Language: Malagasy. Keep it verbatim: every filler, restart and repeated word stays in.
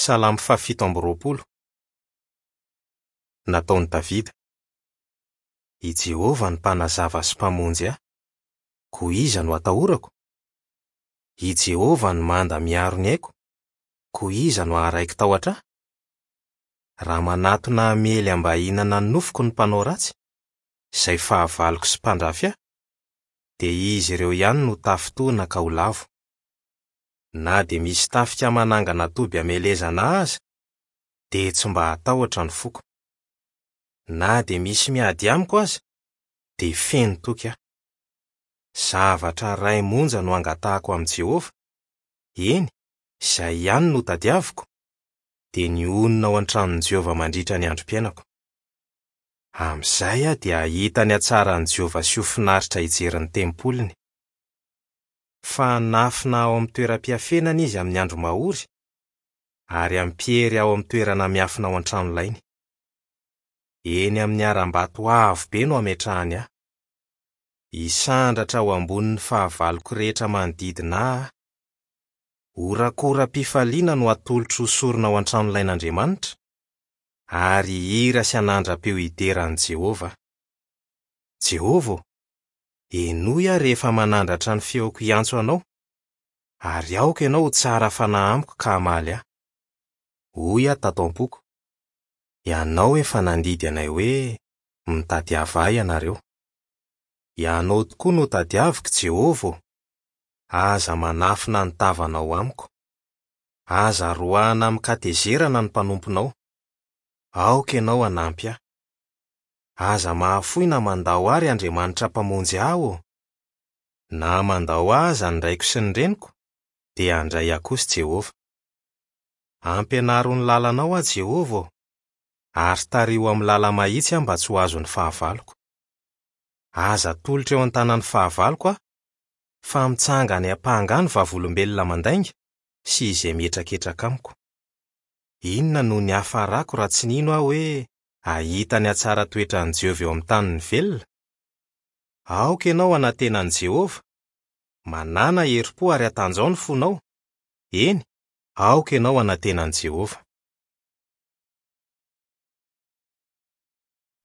Salamo fahafito amby roapolo. Nataon'i Davida. I Jehovah no mpanazava sy mpamonjy ahy. Koa iza no atahorako? I Jehovah no manda miaro ny aiko. Koa iza no haharaiki-tahotra ahy? Raha manatona hamely ambahinana ny nofoko ny mpanao ratsy, izay fahavaloko sy mpandrafy ahy, dia izy ireo ihany no tafintohina ka ho lavo. Na dia misy tafika manangana toby hamelezana ahy aza, dia tsy mba hatahotra ny foko. Na dia misy miady amiko aza, dia feno toky aho. Zavatra iray monja no angatahako amin'i Jehovah, eny, izay ihany no tadiaviko, dia ny honina ao an-tranon'i Jehovah mandritra ny androm-piainako. Amin'izay aho dia hahita ny hatsaran'i Jehovah sy ho finaritra hijery ny tempoliny. Fa hanafina ao amin'ny toeram-piafenana izy amin'ny andro mahory, ary hampiery ao amin'ny toerana miafina ao an-tranolainy. Eny amin'ny harambato avo be no hametrahany ahy. Hisandratra ho ambonin'ny fahavaloko rehetra manodidina ahy aho. Horakoram-pifaliana no hatolotro ho sorona ao an-tranolain'Andriamanitra, ary hihira sy hanandra-peo hidera an'i Jehovah. Jehovah ô, henoy aho rehefa manandratra ny feoko hiantso anao, ary aoka ianao ho tsara fanahy amiko ka hamaly ahy. Hoy aho tato am-poko: Ianao efa nandidy anay hoe, mitadiava ahy ianareo. Ianao tokoa no tadiaviko, Jehovah ô. Aza manafina ny tavanao amiko. Aza roahina amin-katezerana ny mpanomponao. Aoka ianao hanampy ahy. Aza mahafoy na mandao ahy, ry Andriamanitra mpamonjy ahy ô. Na mandao ahy aza ny raiko sy ny reniko, dia handray ahy kosa Jehovah. Ampianaro ny lalanao aho, Jehovah ô, ary tariho amin'ny lala-mahitsy aho mba tsy ho azon'ny fahavaloko. Aza atolotra eo an-tanan'ny fahavaloko aho, fa mitsangana hiampanga ahy ny vavolombelona mandainga sy izay mihetraketraka amiko. Inona no niafarako raha tsy nino aho hoe hahita ny hatsara-toetran'i Jehovah eo amin'ny tanin'ny velona? Aoka ianao hanantena an'i Jehovah. Manàna herim-po ary hatanjao ny fonao. Eny, aoka ianao hanantena an'i Jehovah.